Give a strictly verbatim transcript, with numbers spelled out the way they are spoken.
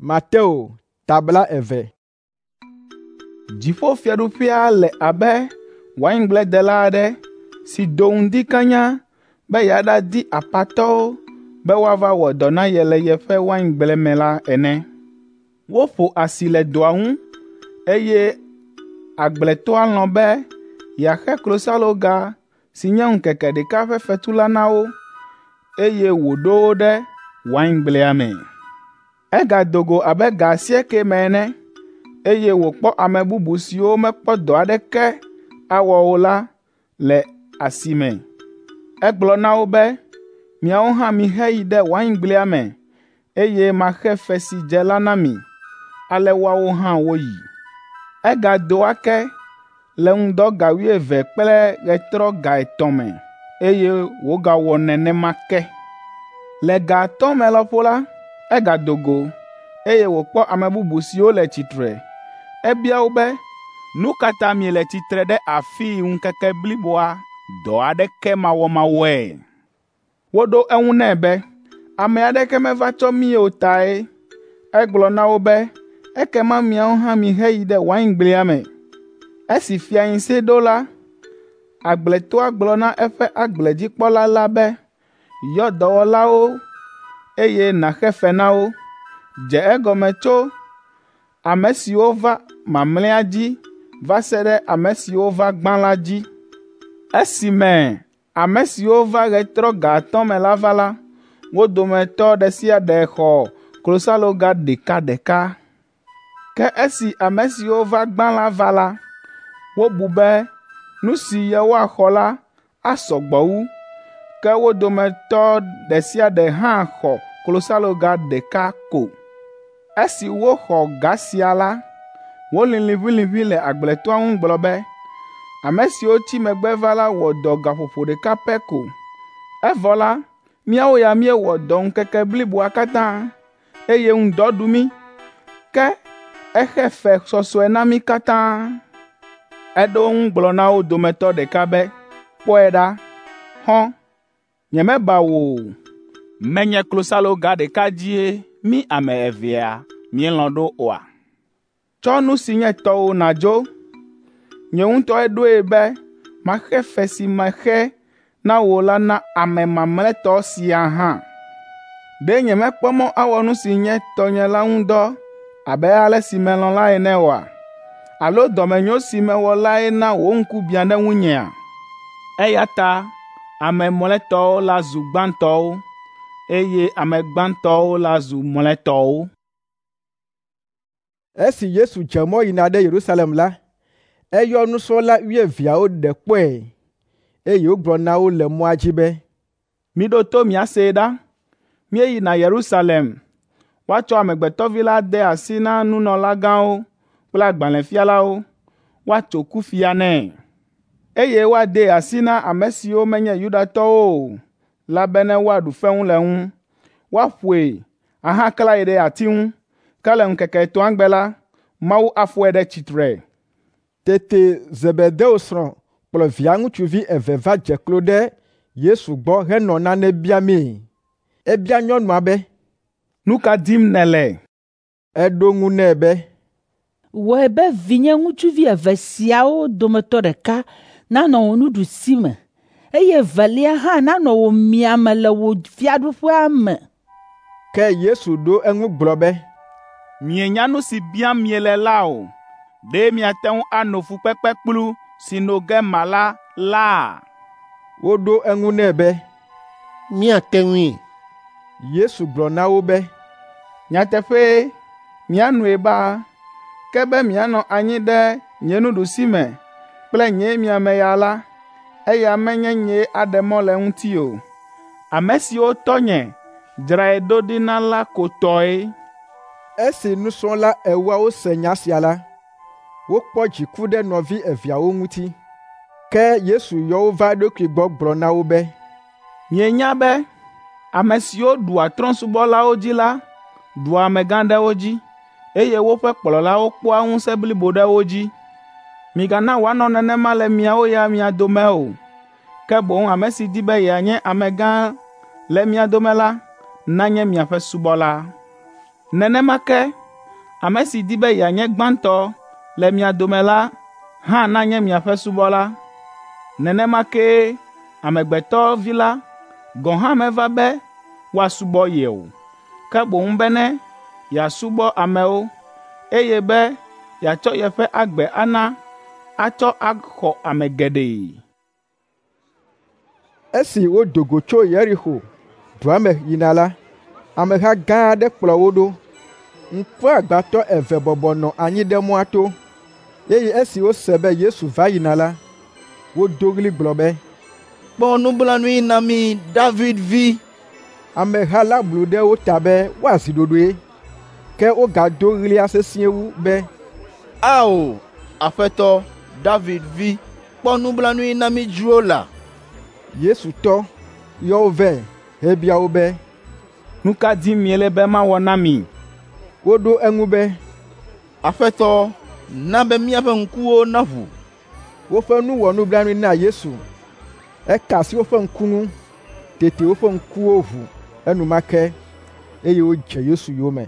Mateo ta blaeve. Dziƒofiaɖuƒea le abe waingbledela aɖe si do ŋdi kanya be yeaɖadi apatɔwo be woava wɔ dɔ na ye le yeƒe waingble me la ene. Woƒo asi le dɔa ŋu, eye agbletɔa lɔ̃ be yeaxe klosaloga si nye ŋkeke ɖeka ƒe fetu la na wo, eye wòɖo wo ɖe waingblea me. Egado go abe ga asiekɛ me ene, eye wòkpɔ ame bubu siwo mekpɔ dɔ aɖeke awɔ o la le asi me. Egblɔ na wo be, ‘Miawo hã miheyi ɖe waingblea me, eye maxe fe si dze la na mi.’ Ale woawo hã woyi. Egado ake le ŋdɔ ga wuieve kple ɣetrɔ ga etɔ̃ me, eye wògawɔ nenema ke. Le ga atɔ̃ me lɔƒo la, egado go, eye wòkpɔ ame bubu siwo le tsitre. Ebia wo be, ‘Nu ka ta miele tsitre ɖe afii ŋkeke bliboa dɔ aɖeke mawɔmawɔe?’ Woɖo eŋu nɛ be, ‘Ame aɖeke meva tsɔ mí o tae.’ Egblɔ na wo be, ‘Ekema miawo hã miheyi ɖe waingblea me.’ Esi fiaŋsɛ ɖo la, agbletɔa gblɔ na eƒe agbledzikpɔla la be, ‘Yɔ dɔwɔlawo, eye nàxe fe na wo. Dze egɔme tso ame siwo va mamlɛa dzi va se ɖe ame siwo va gbã la dzi.’ Esime ame siwo va ɣetrɔ ga atɔ̃ me la va la, wo dometɔ ɖe sia ɖe xɔ klosaloga ɖekaɖeka. Ke esi ame siwo va gbã la va la, wobu be nu si yewoaxɔ la asɔ gbɔ wu, ke wo dometɔ ɖe sia ɖe hã xɔ klosaloga ɖeka ko. Esi woxɔ ga sia la, wolĩ liʋĩliʋĩ le agbletɔa ŋu gblɔ be, ‘Ame siwo tsi megbe va la wɔ dɔ gaƒoƒo ɖeka pɛ ko, evɔ la, míawo ya míewɔ dɔ ŋkeke bliboa katã, eye ŋdɔ ɖu mí, ke exe fe sɔsɔe na mí katã.’ Eɖo eŋu gblɔ na wo dometɔ ɖeka be, ‘Kpɔe ɖa, xɔ̃, nyemeba wò o. Menye klosaloga ɖeka dzie mí ame evea míelɔ̃ ɖo oa? Tsɔ nu si nye tɔwò nàdzo. Nye ŋutɔe ɖoe be maxe fe si mexe na wò la na ame mamlɛtɔ sia hã. Ɖe nyemekpɔ mɔ awɔ nu si nye tɔnye la ŋu dɔ abe ale si melɔ̃ la ene oa? Alo dɔmenyo si mewɔ lae na wò ŋku biã ɖe ŋunyea?’ Eya ta ame mlɔetɔwo la zu gbãtɔwo, eye ame gbãtɔwo la zu mlɔetɔwo. Esi Yesu dze mɔ yina ɖe Yerusalem la, eyɔ nusrɔ̃la wuieveawo ɖe kpɔe, eye wògblɔ na wo le mɔa dzi be, “Miɖo to miasee ɖa. Míeyina Yerusalem. Woatsɔ Amegbetɔvi la ade asi na nunɔlagãwo kple agbalẽfialawo, woatso kufia nɛ, eye woadee asi na ame siwo menye Yudatɔwo o la bene woaɖu fewu le eŋu, woaƒoe ahaklãe ɖe ati ŋu. Ke le ŋkeke etɔ̃a gbe la, Mawu afɔe ɖe tsitre.” Tete Zebedeo srɔ̃ kplɔ via ŋutsuvi eve va dze klo ɖe Yesu gbɔ henɔ nane biamee. Ebia nyɔnua be, “Nu ka dim nèle?” Eɖo eŋu nɛ be, “Wɔe be vinye ŋutsuvi eve siawo dometɔ ɖeka nanɔ wò nuɖusime, eye evelia hã nanɔ wò miame le wò fiaɖuƒea me.” Ke Yesu ɖo eŋu gblɔ be, “Mienya nu si biam miele la o. Ɖe miate ŋu ano fukpekpekplu si no ge mala laa?” Woɖo eŋu nɛ be, “Míate ŋui.” Yesu gblɔ na wo be, “Nyateƒee, mianoe baa, ke be mianɔ anyi ɖe nye nuɖusime kple nye miame ya la, eya menye nyee aɖe mɔ le eŋuti o. Ame siwo tɔnye dzrae ɖo ɖi na la ko tɔe.” Esi nusrɔ̃la ewoawo se nya sia la, wokpɔ dziku ɖe nɔvi eveawo ŋuti. Ke Yesu yɔ wo va eɖokui gbɔ gblɔ na wo be, “Mienya be ame siwo ɖua trɔ̃subɔlawo dzi la ɖua amegã ɖe wo dzi, eye woƒe kplɔlawo kpɔa ŋusẽ blibo ɖe wo dzi. Migana wòanɔ nenema le miawo ya mia dome o. Ke boŋ ame si di be yeanye amegã le mia dome la, nanye miaƒe subɔla. Nenema ke ame si di be yeanye gbãtɔ le mia dome la hã nanye miaƒe subɔla. Nenema kee Amegbetɔ Vi la gɔ̃ hã meva be woasubɔ ye o, ke boŋ bene yeasubɔ amewo, eye be yeatsɔ yeƒe agbe ana atsɔ axɔ ame geɖe. Esi wodo go tso Yeriko dua me yina la, ameha gã aɖe kplɔ wo ɖo. Ŋkuagbãtɔ eve bɔbɔ nɔ anyi ɖe mɔa to, eye esi wose be Yesu va yina la, wodo ɣli gblɔ be, “Kpɔ nublanui na mí, David vi!” Ameha la blu ɖe wo ta be woazi ɖoɖoe, ke wogado ɣlia sesĩe wu be, “Ao, Aƒetɔ, David vi, kpɔ nublanui na mí dzro la!” Yesu tɔ, yɔ wo vɛ hebia wo be, “Nu ka dim miele be mawɔ na mi?” Woɖo eŋu be, “Aƒetɔ, na be míaƒe ŋkuwo naʋu.” Woƒe nu wɔ nublanui na Yesu. Eka asi woƒe ŋku ŋu, tete woƒe ŋkuwo ʋu enumake, eye wodze Yesu yome.